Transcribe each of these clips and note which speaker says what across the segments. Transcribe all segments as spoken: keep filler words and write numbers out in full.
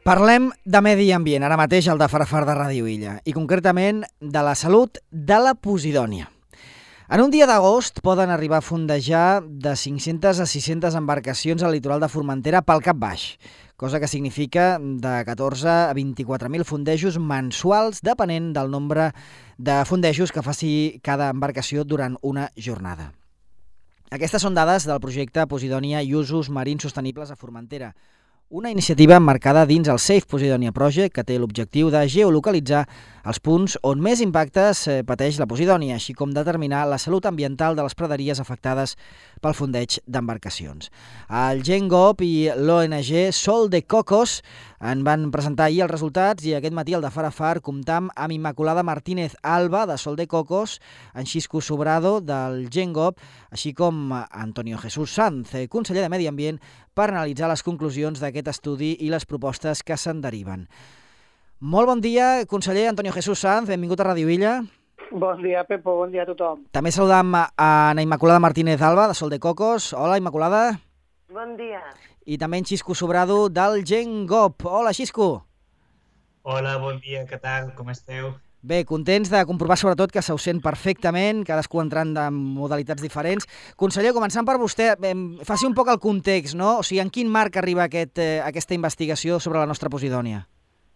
Speaker 1: Parlem de medi ambient, ara mateix al de Farafar de Ràdio Illa, i concretament de la salut de la posidònia. En un dia d'agost poden arribar a fondejar de cinc-centes a sis-centes embarcacions al litoral de Formentera pel cap baix, cosa que significa de catorze a vint-i-quatre mil fondejos mensuals, depenent del nombre de fondejos que faci cada embarcació durant una jornada. Aquestes són dades del projecte Posidònia i usos marins sostenibles a Formentera, una iniciativa emmarcada dins el Safe Posidonia Project que té l'objectiu de geolocalitzar els punts on més impactes pateix la posidònia, així com determinar la salut ambiental de les praderies afectades pel fondeig d'embarcacions. El GenGov i l'O N G Sol de Cocos en van presentar ahir els resultats i aquest matí al de Farafar comptam amb Immaculada Martínez Alba de Sol de Cocos, en Xisco Sobrado del GenGov, així com Antonio Jesús Sanz, conseller de Medi Ambient, per analitzar les conclusions d'aquest estudi i les propostes que se'n deriven. Molt bon dia, conseller Antonio Jesús Sanz, benvingut a Ràdio Illa.
Speaker 2: Bon dia, Pepo, bon dia a tothom.
Speaker 1: També saludam a Ana Immaculada Martínez Alba, de Sol de Cocos. Hola, Immaculada.
Speaker 3: Bon dia.
Speaker 1: I també en Xisco Sobrado, del GenGov. Hola, Xisco.
Speaker 4: Hola, bon dia, què tal, com esteu?
Speaker 1: Bé, contents de comprovar sobretot que se us sent perfectament, cadascú entrant en modalitats diferents. Conseller, començant per vostè, faci un poc el context, no? O sigui, en quin marc arriba aquest, eh, aquesta investigació sobre la nostra posidònia?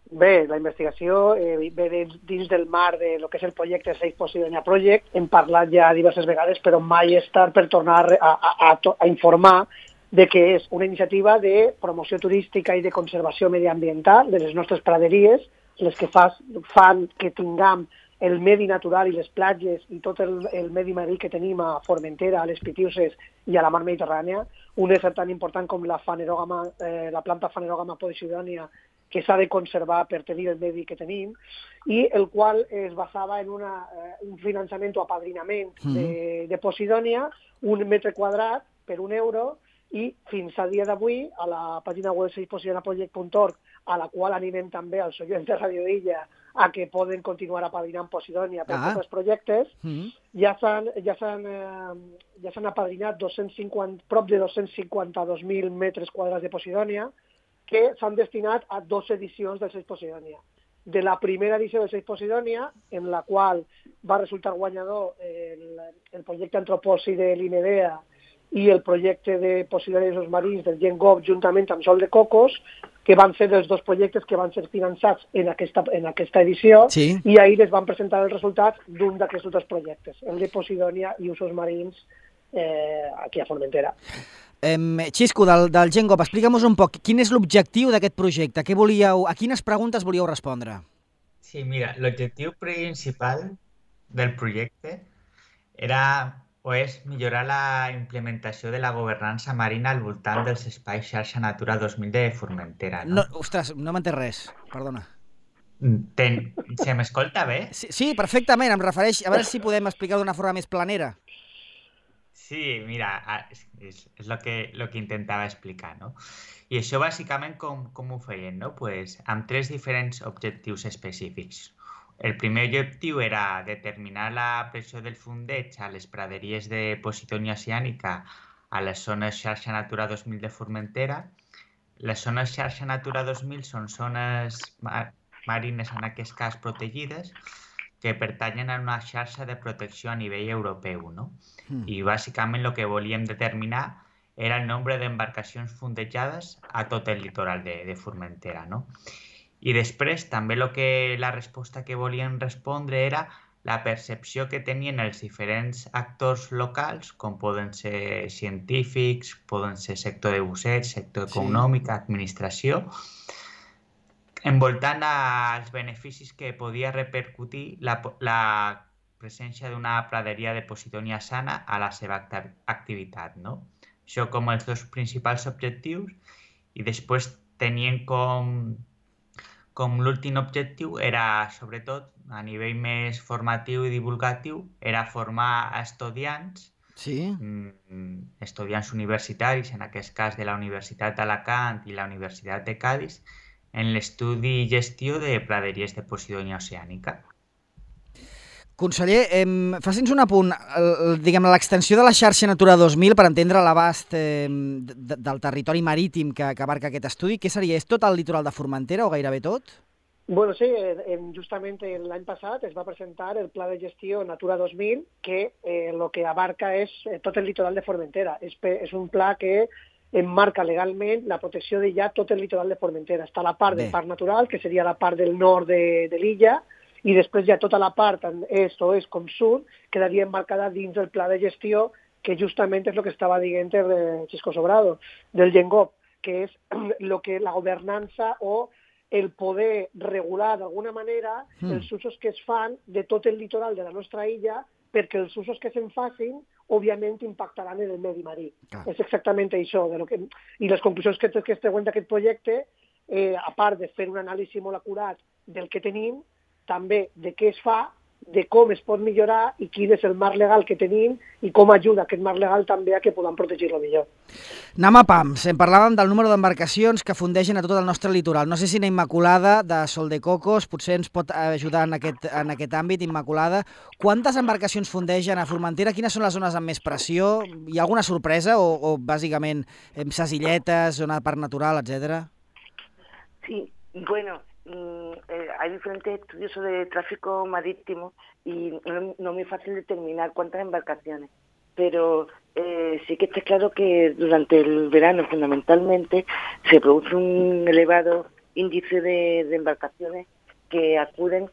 Speaker 2: Bé, la investigació eh, ve dins del marc de lo que és el projecte Safe Posidonia Project. Hem parlat ja diverses vegades, però mai és tard per tornar a, a, a, a informar de que és una iniciativa de promoció turística i de conservació mediambiental de les nostres praderies, les que fa, fan que tinguem el medi natural i les platges i tot el, el medi marí que tenim a Formentera, a les Pitiuses i a la mar Mediterrània, un ésser tan important com la, fanerògama, eh, la planta Phanerogamma posidònia, que s'ha de conservar per tenir el medi que tenim, i el qual es basava en una, eh, un finançament o apadrinament de, de Posidònia, un metre quadrat per un euro, i fins a dia d'avui, a la pàgina web safe posidonia project punt org, a la qual animem també als oients de Ràdio Illa a que poden continuar apadrinant Posidònia per
Speaker 1: ah.
Speaker 2: tots els projectes,
Speaker 1: Mm.
Speaker 2: ja s'han ja s'han eh, ja s'han apadrinat dos-cents cinquanta, prop de dos-cents cinquanta-dos mil metres quadrats de Posidònia, que s'han destinat a dues edicions del Safe Posidònia. De la primera edició del Safe Posidònia, en la qual va resultar guanyador el, el projecte Antropòsi de l'INEDEA i el projecte de Posidònia i usos marins del GenGov juntament amb Sol de Cocos, que van ser dels dos projectes que van ser finançats en aquesta, en aquesta edició,
Speaker 1: Sí.
Speaker 2: i ahir es van presentar els resultats d'un d'aquests dos projectes, el de Posidònia i usos marins eh, aquí a Formentera.
Speaker 1: Eh, Xisco, del, del GenGov, explica'm-nos un poc, quin és l'objectiu d'aquest projecte? Què volíeu, a quines preguntes volíeu respondre?
Speaker 4: Sí, mira, l'objectiu principal del projecte era o és millorar la implementació de la governança marina al voltant dels espais xarxa Natura dos mil de Formentera. No?
Speaker 1: No, ostres, no m'entès res, perdona.
Speaker 4: Ten... Se m'escolta bé?
Speaker 1: Sí, sí, perfectament, em refereix, a veure si podem explicar d'una forma més planera.
Speaker 4: Sí, mira, és, és, és lo, que, lo que intentava explicar, no? I això bàsicament com, com ho feien, no? Pues, amb tres diferents objectius específics. El primer objectiu era determinar la pressió del fondeig a les praderies de Posidònia oceànica a les zones xarxa Natura dos mil de Formentera. Les zones xarxa Natura dos mil són zones mar marines, en aquest cas protegides, que pertanyen a una xarxa de protecció a nivell europeu, no? Mm. I bàsicament el que volíem determinar era el nombre d'embarcacions fondejades a tot el litoral de, de Formentera, no? I després també lo que, la resposta que volien respondre era la percepció que tenien els diferents actors locals, com poden ser científics, poden ser sector de busseig, sector econòmic, sí. administració, envoltant als beneficis que podia repercutir la, la presència d'una praderia de Posidònia sana a la seva activitat, no? Això com els dos principals objectius, i després tenien com, com l'últim objectiu era, sobretot, a nivell més formatiu i divulgatiu, era formar estudiants,
Speaker 1: sí.
Speaker 4: estudiants universitaris, en aquest cas de la Universitat d'Alacant i la Universitat de Cadis, en l'estudi i gestió de praderies de Posidònia oceànica.
Speaker 1: Conseller, eh, faci'ns un apunt. El, diguem, l'extensió de la xarxa Natura dos mil per entendre l'abast eh, de, del territori marítim que, que abarca aquest estudi, què seria? És tot el litoral de Formentera o gairebé tot?
Speaker 2: Bueno, sí, eh, justament l'any passat es va presentar el Pla de Gestió Natura dos mil, que eh, lo que abarca és eh, tot el litoral de Formentera. És, és un pla que enmarca legalment la protecció de ja tot el litoral de Formentera. Està la part Bé. del parc natural, que seria la part del nord de, de l'illa, i després ja tota la part, tant est, oest com sud, quedaria emmarcada dins del pla de gestió, que justament és el que estava dient el Xisco Sobrado, del Gengop, que és lo que la governança o el poder regular d'alguna manera mm. els usos que es fan de tot el litoral de la nostra illa, perquè els usos que se'n facin, òbviament, impactaran en el medi marí. Ah. És exactament això. De lo que... I les conclusions que, que es treuen d'aquest projecte, eh, a part de fer un anàlisi molt acurat del que tenim, també de què es fa, de com es pot millorar i quin és el marc legal que tenim i com ajuda aquest marc legal també a que podem protegir-lo millor.
Speaker 1: Anem a pams. En parlàvem del número d'embarcacions que fundeixen a tot el nostre litoral. No sé si na Immaculada, de Sol de Cocos, potser ens pot ajudar en aquest, en aquest àmbit, Immaculada. Quantes embarcacions fundeixen a Formentera? Quines són les zones amb més pressió? Hi ha alguna sorpresa o, o bàsicament ses illetes, zona de parc natural, etcètera?
Speaker 3: Sí, bueno... Eh, hay diferentes estudios sobre el tráfico marítimo y no, no es muy fácil determinar cuántas embarcaciones, pero eh, sí que está claro que durante el verano fundamentalmente se produce un elevado índice de, de embarcaciones que acuden,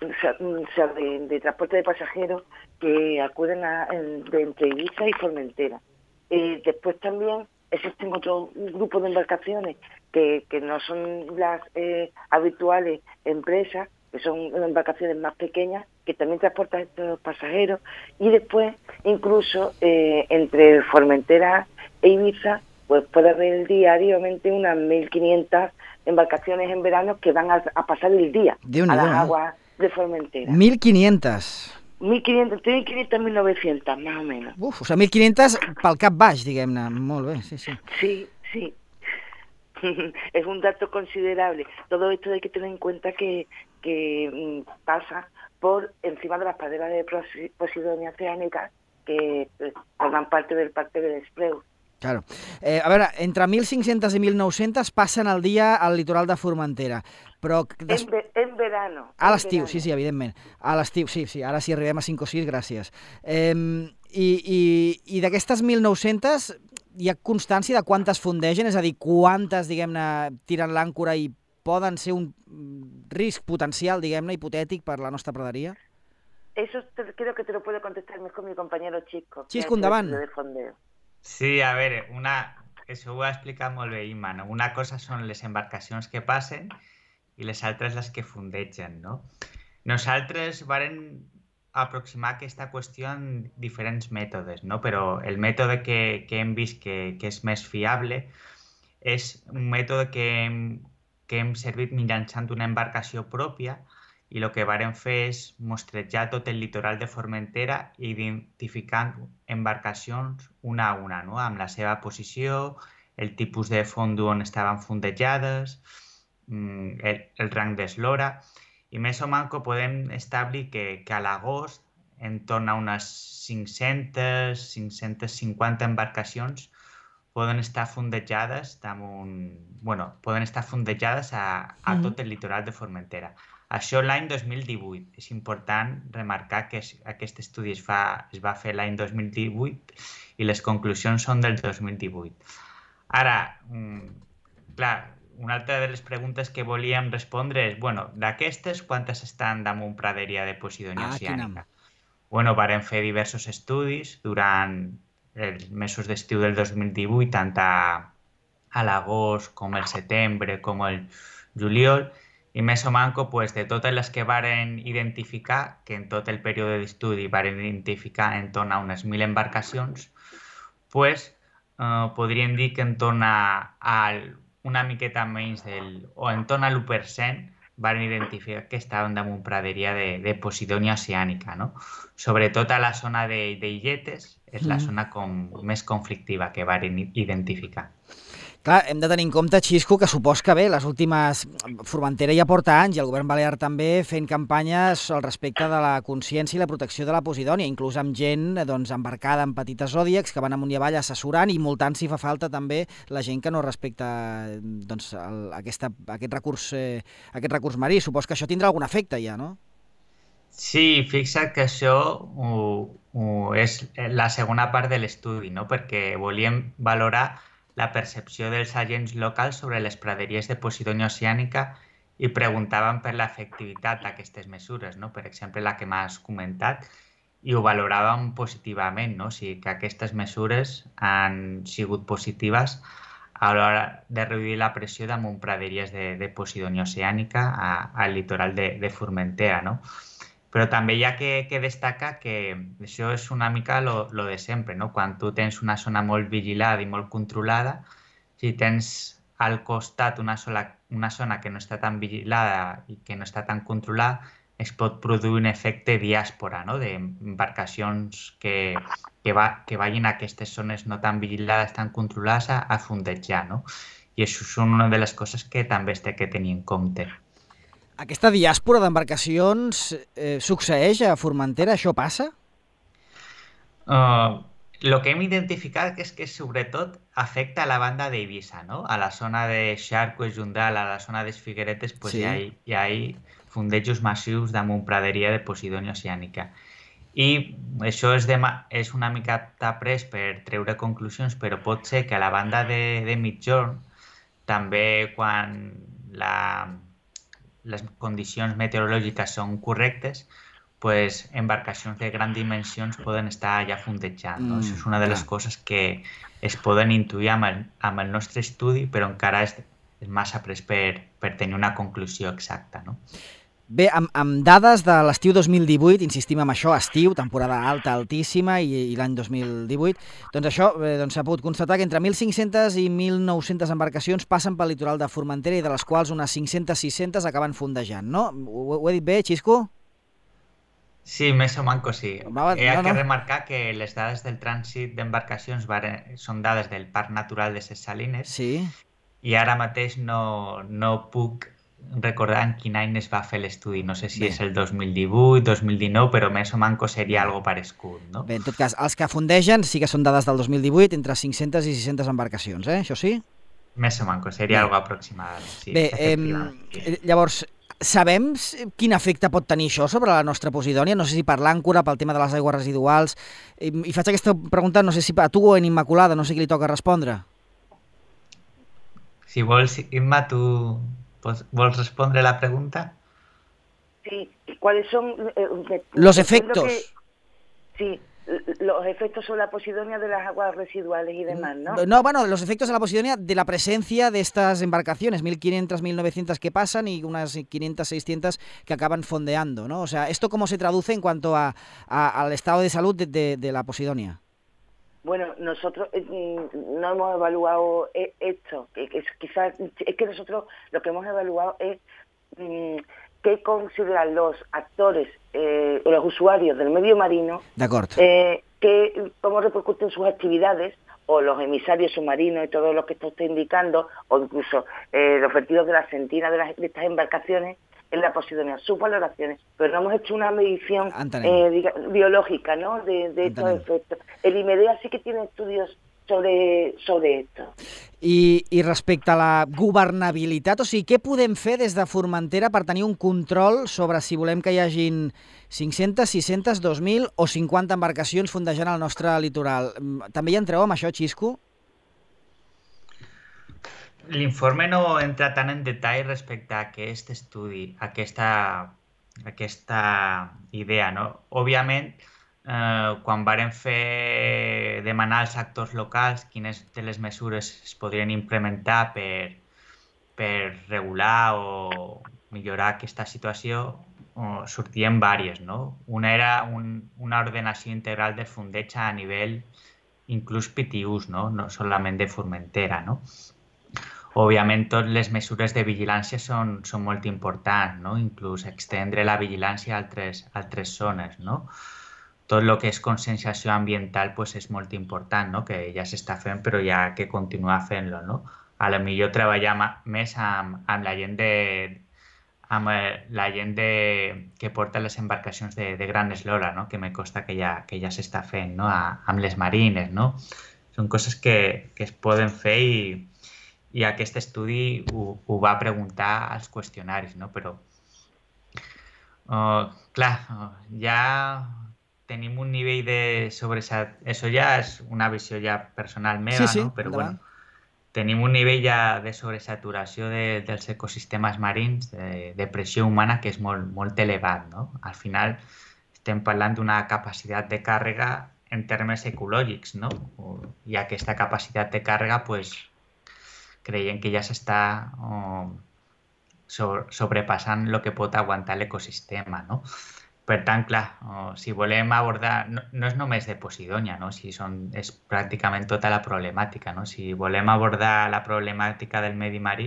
Speaker 3: o sea, o sea de, de transporte de pasajeros que acuden a, de entre Ibiza y Formentera. Eh, después también existen otro grupo de embarcaciones que, que no son las eh, habituales empresas, que son embarcaciones más pequeñas, que también transportan estos pasajeros, y después, incluso, eh, entre Formentera e Ibiza, pues puede haber diariamente unas mil quinientas embarcaciones en verano que van a, a pasar el día a las aguas de Formentera.
Speaker 1: mil quinientas.
Speaker 3: mil quinientas, entre mil quinientas y mil novecientas, más o menos.
Speaker 1: Uf, o sigui, mil quinientas pel cap baix, diguem-ne. Molt bé, sí, sí.
Speaker 3: Sí, sí. Es un dato considerable. Todo esto hay que tener en cuenta que, que mm, pasa por encima de las praderas de Posidonia oceánica que eh, forman parte del Parque de l'Espreu.
Speaker 1: Claro. Eh, a veure, entre mil cinc-centes i mil nou-centes passen el dia al litoral de Formentera, però...
Speaker 3: Des... En, ve en verano.
Speaker 1: A l'estiu, sí, sí, evidentment. A l'estiu, sí, sí, ara sí arribem a cinc o sis, gràcies. Eh, I i, i d'aquestes mil nou-centes hi ha constància de quantes fundegen? És a dir, quantes, diguem-ne, tiren l'àncora i poden ser un risc potencial, diguem-ne, hipotètic per la nostra praderia?
Speaker 3: Eso te, creo que te lo puede contestar mejor mi compañero Xisco.
Speaker 1: Xisco, endavant.
Speaker 4: Sí, a veure, una... això ho ha explicat molt bé Imma, no? Una cosa són les embarcacions que passen i les altres les que fundegen, no? Nosaltres varen aproximar aquesta qüestió en diferents mètodes, no? Però el mètode que, que hem vist que, que és més fiable és un mètode que hem, que hem servit mitjançant una embarcació pròpia i el que varen fer és mostrejar tot el litoral de Formentera identificant embarcacions una a una, no? Amb la seva posició, el tipus de fondo on estaven fondejades, el, el rang d'eslora, i més o manco podem establir que, que a l'agost, en torn a unes cinc-centes, cinc-centes cinquanta embarcacions poden estar fondejades damunt, bueno, poden estar fondejades a, a tot el litoral de Formentera. Això l'any dos mil divuit. És important remarcar que aquest estudi es, fa, es va fer l'any dos mil divuit i les conclusions són del dos mil divuit. Ara, clar, una altra de les preguntes que volíem respondre és, bueno, d'aquestes, quantes estan damunt praderia de Posidonia oceànica? Bueno, varen fer diversos estudis durant els mesos d'estiu del dos mil divuit, tant a, a l'agost com el setembre com el juliol, i més o manco, pues, de totes les que varen identificar, que en tot el període d'estudi varen identificar en torn a unes mil embarcacions, pues, eh, podríem dir que en torn a, a una miqueta menys del, o en torn a l'u per cent varen identificar que estaven damunt praderia de, de Posidonia oceànica, no? Sobretot a la zona d'Illetes, és la zona com més conflictiva que varen identificar.
Speaker 1: Clar, hem de tenir en compte, Xisco, que supos que bé, les últimes... Formentera ja porta anys i el govern balear també fent campanyes al respecte de la consciència i la protecció de la posidònia, inclús amb gent doncs, embarcada en petites zòdiacs que van amunt i avall assessorant i multant si fa falta també la gent que no respecta doncs, el, aquesta, aquest, recurs, eh, aquest recurs marí. Supos que això tindrà algun efecte ja, no?
Speaker 4: Sí, fixa't que això ho, ho és la segona part de l'estudi, no? Perquè volíem valorar la percepció dels agents locals sobre les praderies de Posidònia oceànica i preguntaven per l'efectivitat d'aquestes mesures, no? Per exemple, la que m'has comentat, i ho valoràvem positivament, no? O sigui, que aquestes mesures han sigut positives a l'hora de reduir la pressió damunt praderies de, de Posidònia oceànica a, al litoral de, de Formentera, no? Però també hi ha que, que destacar que això és una mica lo, lo de sempre, no? Quan tu tens una zona molt vigilada i molt controlada, si tens al costat una, sola, una zona que no està tan vigilada i que no està tan controlada, es pot produir un efecte diàspora, no? D'embarcacions que, que, va, que vagin a aquestes zones no tan vigilades, tan controlades, a, a fondejar, no? I això és una de les coses que també es té que tenir en compte.
Speaker 1: Aquesta diàspora d'embarcacions eh, succeeix a Formentera? Això passa?
Speaker 4: Uh, lo que hem identificat és que sobretot afecta a la banda d'Eivissa, no? A la zona de Xarco, Jundal, a la zona de Figueretes, pues sí. hi, ha, hi ha fondejos massius damunt praderia de Posidònia oceànica. I això és, de, és una mica pres per treure conclusions, però pot ser que a la banda de, de Migjorn, també quan la... les condicions meteorològiques són correctes, pues, embarcacions de grans dimensions poden estar allà fondejant. No? Mm, Això és una de les coses que es poden intuir amb el, amb el nostre estudi, però encara és, és massa pres per, per tenir una conclusió exacta. No?
Speaker 1: Bé, amb, amb dades de l'estiu dos mil divuit, insistim en això, estiu, temporada alta, altíssima, i, i l'any dos mil divuit, doncs això eh, doncs s'ha pogut constatar que entre mil cinc-centes i mil nou-centes embarcacions passen pel litoral de Formentera i de les quals unes cinc-centes sis-centes acaben fondejant, no? Ho, ho he dit bé, Xisco?
Speaker 4: Sí, més o manco sí.
Speaker 1: Va,
Speaker 4: He
Speaker 1: no,
Speaker 4: de
Speaker 1: no.
Speaker 4: remarcar que les dades del trànsit d'embarcacions són dades del Parc Natural de Ses Salines,
Speaker 1: Sí.
Speaker 4: i ara mateix no, no puc recordar en quin any es va fer l'estudi. No sé si
Speaker 1: Bé.
Speaker 4: és el dos mil divuit, dos mil dinou, però més o manco seria algo parescut, no?
Speaker 1: Bé, en tot cas, els que fondegen sí que són dades del dos mil divuit, entre cinc-centes i sis-centes embarcacions, eh? Això sí?
Speaker 4: Més o manco, seria
Speaker 1: Bé.
Speaker 4: algo aproximadament. Sí,
Speaker 1: Bé,
Speaker 4: efectivament,
Speaker 1: eh,
Speaker 4: sí.
Speaker 1: llavors, sabem quin efecte pot tenir això sobre la nostra Posidònia? No sé si per l'àncora, pel tema de les aigües residuals. I, i faig aquesta pregunta, no sé si a tu o en Immaculada, no sé qui li toca respondre.
Speaker 4: Si vols, Imma, tu vols respondre la pregunta?
Speaker 3: Sí, ¿cuáles son eh,
Speaker 1: Los
Speaker 3: entiendo
Speaker 1: efectos.
Speaker 3: que- sí, los efectos sobre la Posidonia de las aguas residuales y demás, ¿no?
Speaker 1: No, bueno, los efectos de la Posidonia de la presencia de estas embarcaciones, mil quinientas, mil novecientas que pasan y unas quinientas, seiscientas que acaban fondeando, ¿no? O sea, ¿esto cómo se traduce en cuanto a, a- al estado de salud de, de- de la Posidonia?
Speaker 3: Bueno, nosotros eh, mm, no hemos evaluado eh, esto, que, que es, quizás es que nosotros lo que hemos evaluado es mm, qué consideran los actores eh, o los usuarios del medio marino,
Speaker 1: D'acord.
Speaker 3: eh, que, cómo repercuten sus actividades, o los emisarios submarinos y todo lo que esto está indicando, o incluso eh, los vertidos de la sentina de, las, de estas embarcaciones en la Posidonia, sus valoraciones, pero no hemos hecho una medición
Speaker 1: Entenem.
Speaker 3: eh, diga- biológica, ¿no?, de, de estos
Speaker 1: Entenem.
Speaker 3: efectos. El IMEDEA sí que tiene estudios sobre, sobre esto.
Speaker 1: I, I respecte a la governabilitat, o sigui, què podem fer des de Formentera per tenir un control sobre si volem que hi hagin cinc-centes, sis-centes, dos mil o cinquanta embarcacions fondejant al nostre litoral? Mm, També hi entreu amb això, Xisco?
Speaker 4: L'informe no entra tant en detall respecte a aquest estudi, a aquesta, aquesta idea, no? Òbviament, eh, quan varen fer demanar als actors locals quines de les mesures es podrien implementar per, per regular o millorar aquesta situació, o sortien diverses, no? Una era un, una ordenació integral del fondeig a nivell inclús P T Us, no? No solament de Formentera, no? Òbviament, totes les mesures de vigilància són, són molt importants, no? Inclús extendre la vigilància a altres, a altres zones, no? Tot el que és conscienciació ambiental pues, és molt important, no? Que ja s'està fent, però hi ha que continuar fent-lo, no? a lo millor treballar més amb, amb la gent de amb la gent de, que porta les embarcacions de, de gran eslora, no? Que me consta que ja, que ja s'està fent, no? A, amb les marines, no? Són coses que, que es poden fer i, i aquest estudi ho, ho va preguntar als qüestionaris, no? Però, uh, clar, uh, ja tenim un nivell de sobresat... Això ja és una visió ja personal meva,
Speaker 1: sí, sí,
Speaker 4: no? Però
Speaker 1: endavant.
Speaker 4: bueno, tenim un nivell ja de sobresaturació de, dels ecosistemes marins, de, de pressió humana, que és molt, molt elevat, no? Al final estem parlant d'una capacitat de càrrega en termes ecològics, no? I aquesta capacitat de càrrega, pues, creiem que ja s'està oh, sobre, sobrepassant el que pot aguantar l'ecosistema, no? Per tant, clar, oh, si volem abordar... No, no és només de Posidònia, no? Si són, és pràcticament tota la problemàtica, no? Si volem abordar la problemàtica del medi marí,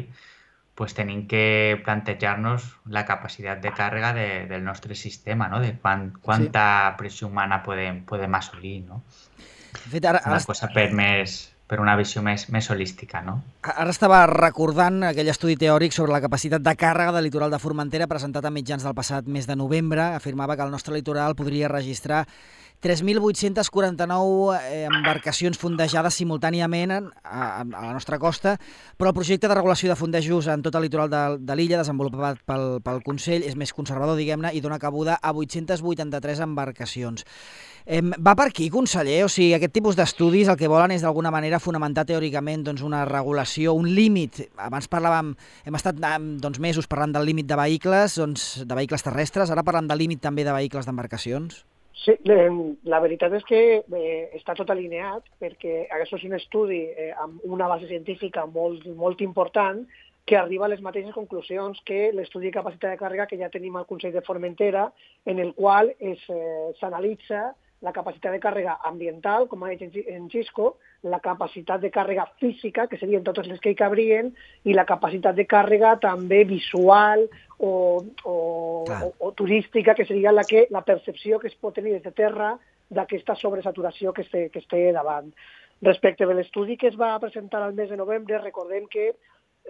Speaker 4: pues tenim que plantejar-nos la capacitat de càrrega de, del nostre sistema, no? De quan, quanta sí. pressió humana podem, podem assolir, no?
Speaker 1: De fet, ara,
Speaker 4: una
Speaker 1: ara...
Speaker 4: cosa per més... per una visió més, més holística, no?
Speaker 1: Ara estava recordant aquell estudi teòric sobre la capacitat de càrrega del litoral de Formentera presentat a mitjans del passat mes de novembre. Afirmava que el nostre litoral podria registrar tres mil vuit-cents quaranta-nou embarcacions fondejades simultàniament a, a la nostra costa, però el projecte de regulació de fondejos en tot el litoral de, de l'illa, desenvolupat pel, pel Consell, és més conservador, diguem-ne, i dona cabuda a vuit-cents vuitanta-tres embarcacions. Eh, va per aquí, conseller? O sigui, aquest tipus d'estudis el que volen és d'alguna manera fonamentar teòricament doncs, una regulació, un límit. Abans parlàvem, hem estat doncs, mesos parlant del límit de vehicles, doncs, de vehicles terrestres, ara parlem del límit també de vehicles d'embarcacions?
Speaker 2: Sí, la veritat és que eh, està tot alineat, perquè aquest és un estudi eh, amb una base científica molt, molt important que arriba a les mateixes conclusions que l'estudi de capacitat de càrrega que ja tenim al Consell de Formentera, en el qual s'analitza eh, la capacitat de càrrega ambiental, com ha dit en Xisco, la capacitat de càrrega física, que serien totes les que hi cabrien, i la capacitat de càrrega també visual o, o, o, o turística, que seria la, que, la percepció que es pot tenir des de terra d'aquesta sobresaturació que es té, que es té davant. Respecte de l'estudi que es va presentar al mes de novembre, recordem que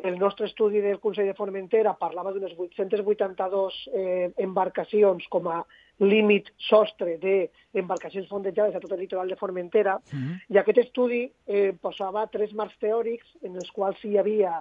Speaker 2: el nostre estudi del Consell de Formentera parlava d'unes vuit-cents vuitanta-dos eh, embarcacions com a límit sostre d'embarcacions fondejades a tot el litoral de Formentera, mm-hmm. i aquest estudi eh, posava tres marcs teòrics en els quals hi havia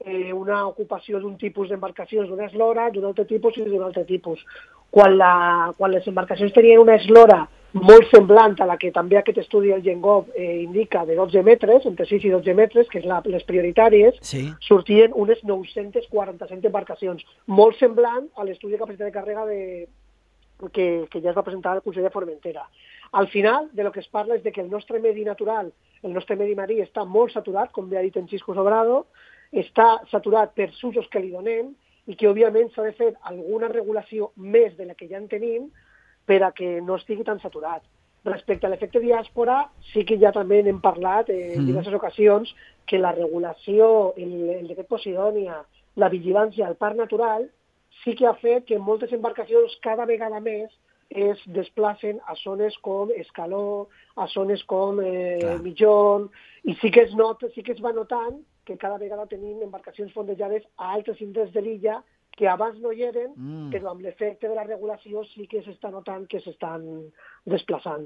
Speaker 2: eh, una ocupació d'un tipus d'embarcacions d'una eslora, d'un altre tipus i d'un altre tipus. Quan, la, quan les embarcacions tenien una eslora molt semblant a la que també aquest estudi del GenGov eh, indica, de dotze metres, entre sis i dotze metres, que és la, les prioritàries, sí. sortien unes nou-cents quaranta-set embarcacions, molt semblant a l'estudi de capacitat de càrrega de, que, que ja es va presentar al Consell de Formentera. Al final, de lo que es parla és de que el nostre medi natural, el nostre medi marí, està molt saturat, com bé ha dit en Xisco Sobrado, està saturat per usos que li donem, i que, òbviament, s'ha de fer alguna regulació més de la que ja en tenim, per a que no estigui tan saturat. Respecte a l'efecte diàspora, sí que ja també n'hem parlat eh, en diverses ocasions que la regulació, el, el decret Posidònia, la vigilància al parc natural, sí que ha fet que moltes embarcacions cada vegada més es desplacen a zones com Escaló, a zones com eh, Mitjón, i sí que, es not, sí que es va notant que cada vegada tenim embarcacions fondejades a altres indrets de l'illa que abans no hi eren, mm. però amb l'efecte de la regulació sí que s'està notant que s'estan desplaçant.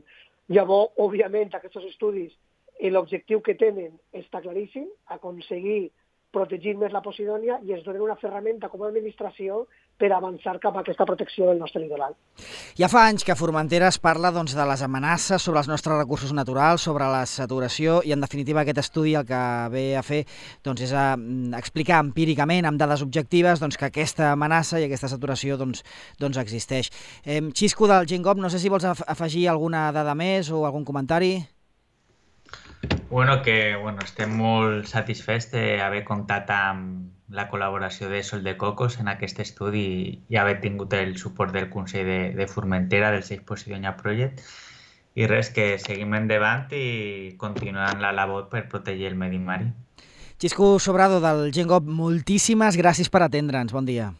Speaker 2: Llavors, òbviament, aquests estudis, l'objectiu que tenen està claríssim, aconseguir protegir més la Posidònia i es donen una ferramenta com a administració per avançar cap a aquesta protecció del nostre litoral.
Speaker 1: Ja fa anys que a Formentera es parla doncs, de les amenaces sobre els nostres recursos naturals, sobre la saturació, i en definitiva aquest estudi el que ve a fer doncs, és a explicar empíricament, amb dades objectives, doncs, que aquesta amenaça i aquesta saturació doncs, doncs existeix. Eh, Xisco del GenGov, no sé si vols afegir alguna dada més o algun comentari?
Speaker 4: Bueno, que bueno, estem molt satisfets d'haver comptat amb la col·laboració de Sol de Cocos en aquest estudi i haver tingut el suport del Consell de, de Formentera, del Safe Posidònia Project, i res, que seguim endavant i continuant la labor per protegir el medi marí.
Speaker 1: Xisco Sobrado del GenGov, moltíssimes gràcies per atendre'ns, bon dia.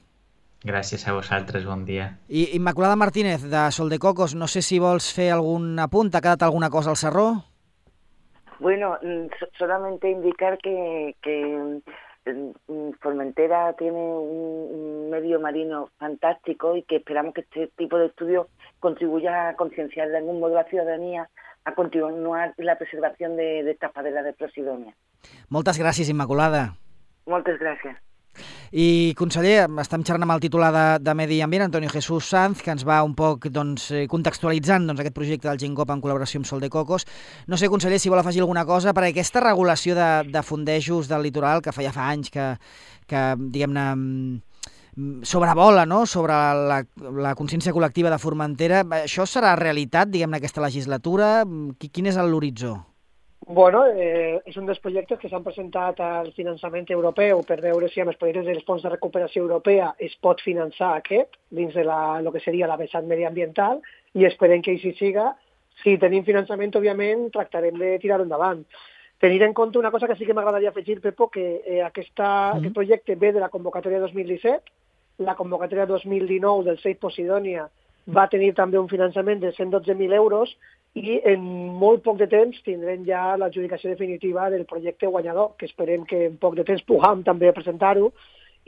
Speaker 4: Gràcies a vosaltres, bon dia.
Speaker 1: I Immaculada Martínez, de Sol de Cocos, no sé si vols fer algun apunt, t'ha quedat alguna cosa al sarró?
Speaker 3: Bueno, solamente indicar que, que Formentera tiene un medio marino fantástico y que esperamos que este tipo de estudios contribuya a concienciar de algún modo a la ciudadanía a continuar la preservación de, de estas praderas de Posidonia.
Speaker 1: Moltes gràcies, Immaculada.
Speaker 3: Moltes gràcies.
Speaker 1: I, conseller, estem xerrant amb el titular de, de Medi Ambient, Antonio Jesús Sanz, que ens va un poc doncs, contextualitzant doncs, aquest projecte del Ginkgo en col·laboració amb Sol de Cocos. No sé, conseller, si vol afegir alguna cosa, perquè aquesta regulació de, de fondejos del litoral, que fa ja fa anys que, que diguem-ne, sobrevola, no?, sobre la, la consciència col·lectiva de Formentera, això serà realitat, diguem-ne, aquesta legislatura? Quin és l'horitzó?
Speaker 2: Bueno, eh, és un dels projectes que s'han presentat al finançament europeu per veure si amb els projectes dels fons de recuperació europea es pot finançar aquest dins de la, lo que seria la vessant mediambiental, i esperem que així siga. Si tenim finançament, òbviament, tractarem de tirar-ho endavant. Tenir en compte una cosa que sí que m'agradaria afegir, Pepo, que eh, aquesta, mm. aquest projecte ve de la convocatòria dos mil disset, la convocatòria dos mil dinou del Save Posidonia va tenir també un finançament de cent dotze mil euros, i en molt poc de temps tindrem ja l'adjudicació definitiva del projecte guanyador, que esperem que en poc de temps puguem també presentar-ho,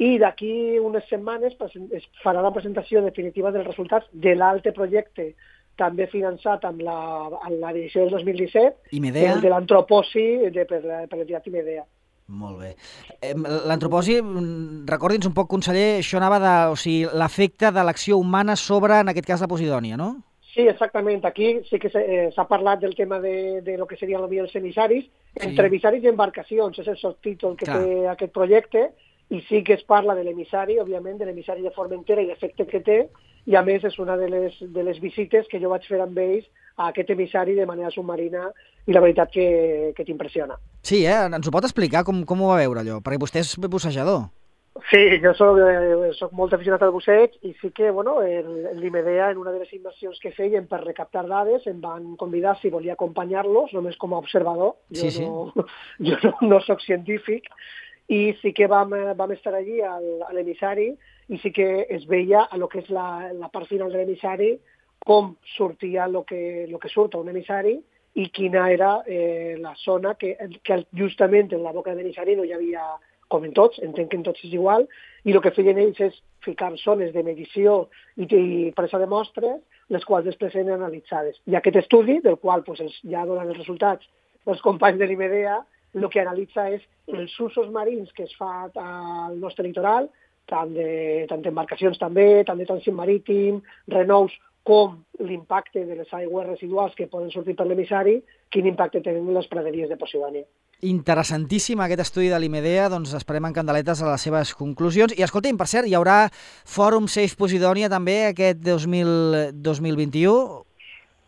Speaker 2: i d'aquí unes setmanes es farà la presentació definitiva dels resultats de l'altre projecte, també finançat amb la, amb la edició del dos mil disset,
Speaker 1: Imedea,
Speaker 2: el de l'antroposi de, per l'entitat Imedea.
Speaker 1: Molt bé. L'antroposi, recordi'ns un poc, conseller, això anava de, o sigui, l'efecte de l'acció humana sobre, en aquest cas, la Posidonia, no?
Speaker 2: Sí, exactament. Aquí sí que s'ha eh, parlat del tema de, de lo que serien els emissaris. Sí. Entre emissaris i embarcacions és el subtítol que Clar. té aquest projecte, i sí que es parla de l'emissari, òbviament, de l'emissari de Formentera i l'efecte que té, i a més és una de les, de les visites que jo vaig fer amb ells a aquest emissari de manera submarina, i la veritat que, que t'impressiona.
Speaker 1: Sí, eh? Ens ho pot explicar com, com ho va veure allò? Perquè vostè és bussejador.
Speaker 2: Sí, jo soc, eh, soc molt aficionat al busseig, i sí que, bueno, l'Imedea, en una de les immersions que feien per recaptar dades, em van convidar si volia acompanyar-los, només com a observador. Jo, sí, no, sí. jo no, no soc científic, i sí que vam, vam estar allí al, a l'emissari, i sí que es veia a lo que és la, la part final de l'emissari, com sortia el que, lo que surt a un emissari, i quina era eh, la zona que, que justament en la boca de l'emissari no hi havia, com en tots, entenc que en tots és igual, i el que feien ells és ficar zones de medició i, i presa de mostres, les quals després eren analitzades. I aquest estudi, del qual pues, els, ja donen els resultats els companys de l'Imedea, el que analitza és els usos marins que es fa al nostre litoral, tant de, tant d'embarcacions també, tant de trànsit marítim, renous, com l'impacte de les aigües residuals que poden sortir per l'emissari, quin impacte tenen les praderies de Posidonia.
Speaker 1: Interessantíssim aquest estudi de l'Imedea, doncs esperem amb candeletes a les seves conclusions. I escolta'm, per cert, hi haurà Fòrum Save Posidonia també aquest dos mil vint-i-u?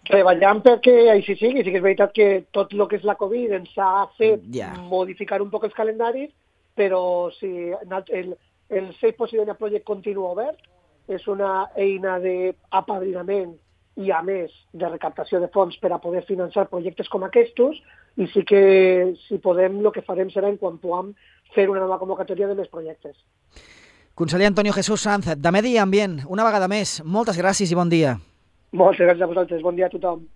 Speaker 2: Treballant perquè així sigui, sí que és veritat que tot el que és la Covid ens ha fet yeah. modificar un poc els calendaris, però si el, el Save Posidonia Project continua obert, és una eina d'apadrinament i, a més, de recaptació de fons per a poder finançar projectes com aquests, i sí que, si podem, el que farem serà en quan puguem fer una nova convocatòria de més projectes.
Speaker 1: Conseller Antonio Jesús Sanz, de Medi Ambient, una vegada més, moltes gràcies i bon dia.
Speaker 2: Moltes gràcies a vosaltres, bon dia a tothom.